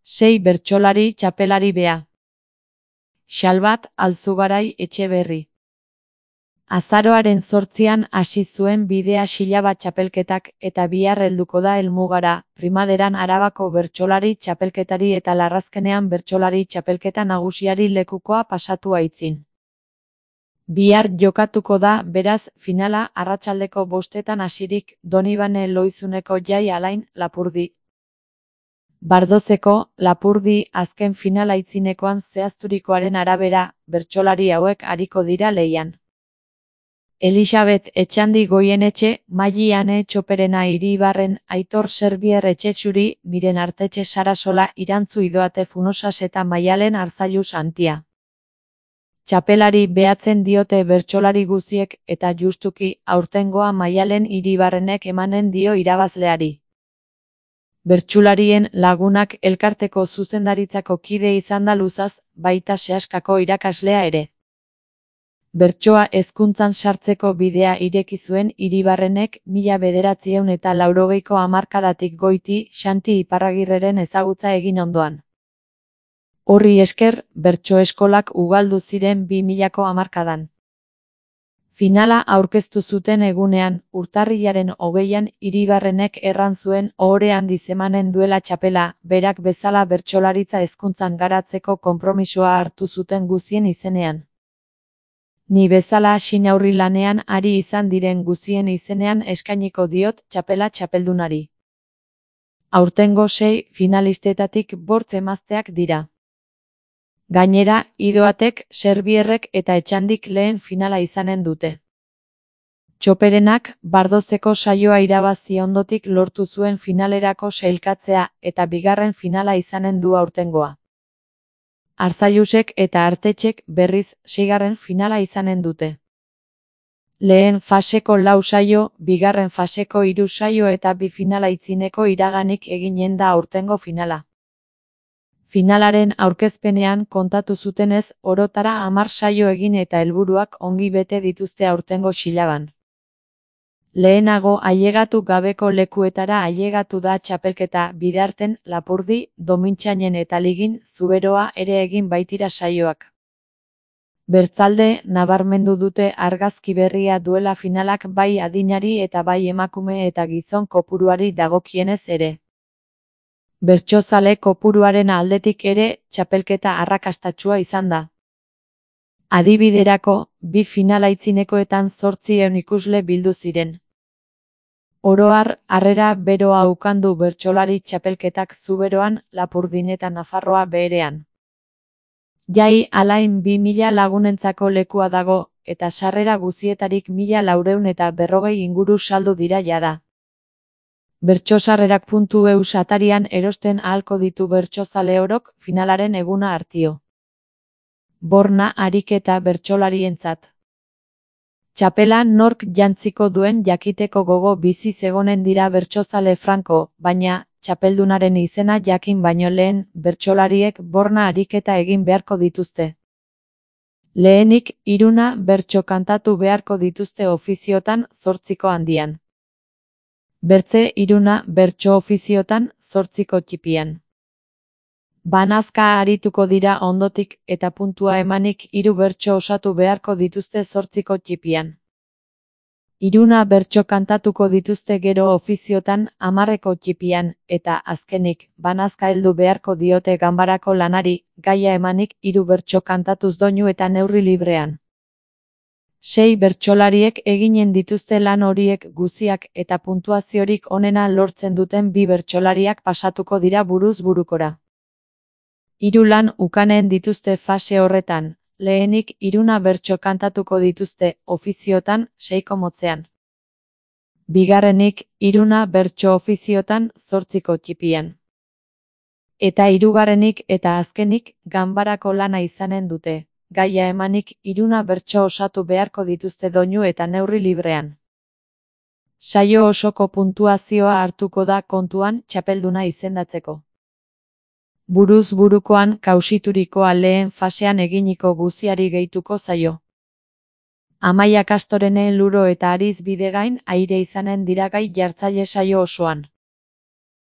6 bertsolari txapelari bea. Xalbat Alzugarai Etxeberri. Azaroaren 8an hasi zuen bidea Xilabat txapelketak eta bihar helduko da helmugara, primaderan Arabako bertsolari txapelketari eta larrazkenean bertsolari txapelketa nagusiari lekukoa pasatu aitzin. Bihar jokatuko da, beraz, finala arratsaldeko 5etan hasirik, Donibane Lohizuneko Jai Alain, Lapurdi. Bardozeko, Lapurdi, azken finala aitzinekoan zehazturikoaren arabera, bertsolari hauek ariko dira lehian. Elisabet Etxandi Goienetxe, Maili Ane Txoperena Iribarren, Aitor Serbier Etxetxuri, Miren Artetxe Sarasola, Irantzu Idoate Funosas eta Maialen Arzailu Santia. Txapelari behatzen diote bertsolari guziek eta justuki aurtengoa Maialen Iribarrenek emanen dio irabazleari. Bertsularien Lagunak elkarteko zuzendaritzako kide izan da luzaz, baita sehaskako irakaslea ere. Bertsoa hezkuntzan sartzeko bidea ireki zuen Iribarrenek 1980ko hamarkadatik goiti Xanti Iparragirreren ezagutza egin ondoan. Horri esker, bertso eskolak ugaldu ziren 2000ko hamarkadan. Finala aurkeztu zuten egunean, urtarrilaren 20an Iribarrenek erran zuen ohore handiz emanen duela txapela, berak bezala bertsolaritza hezkuntzan garatzeko konpromisoa hartu zuten guzien izenean. Ni bezala xinaurri lanean ari izan diren guzien izenean eskainiko diot txapela txapeldunari. Aurtengo 6 finalistetatik 5 emazteak dira. Gainera, Idoatek, Serbierrek eta Etxandik lehen finala izanen dute. Txoperenak, Bardozeko saioa irabazi ondotik lortu zuen finalerako sailkatzea eta bigarren finala izanen du aurtengoa. Arzailusek eta Artetxek berriz 6. finala izanen dute. Lehen faseko 4 saio, bigarren faseko 3 saio eta 2 finala itzineko iraganik eginen da aurtengo finala. Finalaren aurkezpenean kontatu zutenez, orotara 10 saio egin eta helburuak ongi bete dituzte aurtengo Xilaban. Lehenago ailegatu gabeko lekuetara ailegatu da txapelketa, bidarten, Lapurdi, Domintxainen eta Ligin, Zuberoa ere egin baitira saioak. Bertzalde, nabarmendu dute argazki berria duela finalak bai adinari eta bai emakume eta gizon kopuruari dagokienez ere. Bertsozale kopuruaren aldetik ere, txapelketa arrakastatsua izan da. Adibiderako, 2 finala aitzinekoetan 800 ikusle bildu ziren. Oro har, harrera beroa ukandu bertsolari txapelketak Zuberoan, Lapurdin eta Nafarroa Beherean. Jai Alain 2000 lagunentzako lekua dago, eta sarrera guzietarik 1440 inguru saldu dira jada. Bertsosarrerak.eus atarian erosten ahalko ditu bertsozale orok finalaren eguna hartio. Borna ariketa bertsolarientzat. Txapela nork jantziko duen jakiteko gogo bizi zegonen dira bertsozale franko, baina, txapeldunaren izena jakin baino lehen, bertsolariek borna ariketa egin beharko dituzte. Lehenik, 3 bertso kantatu beharko dituzte ofiziotan 8ko handian. Bertze 3 bertso ofiziotan 8ko txipian. Banazka arituko dira ondotik eta puntua emanik 3 bertso osatu beharko dituzte 8ko txipian. 3 bertso kantatuko dituzte gero ofiziotan 10ko txipian, eta azkenik, banazka heldu beharko diote ganbarako lanari, gaia emanik 3 bertso kantatuz doinu eta neurri librean. 6 bertsolariek eginen dituzte lan horiek guziak eta puntuaziorik onena lortzen duten 2 bertsolariak pasatuko dira buruz burukora. 3 lan ukanen dituzte fase horretan, lehenik 3 bertso kantatuko dituzte ofiziotan 6ko motzean. Bigarrenik 3 bertso ofiziotan 8ko txipian. Eta 3. eta azkenik ganbarako lana izanen dute. Gaia emanik 3 bertso osatu beharko dituzte doinu eta neurri librean. Saio osoko puntuazioa hartuko da kontuan txapelduna izendatzeko. Buruz burukoan kausiturikoa lehen fasean eginiko guziari gehituko zaio. Amaia Kastorene Luro eta Ariz Bidegain aire izanen dira gai jartzaile saio osoan.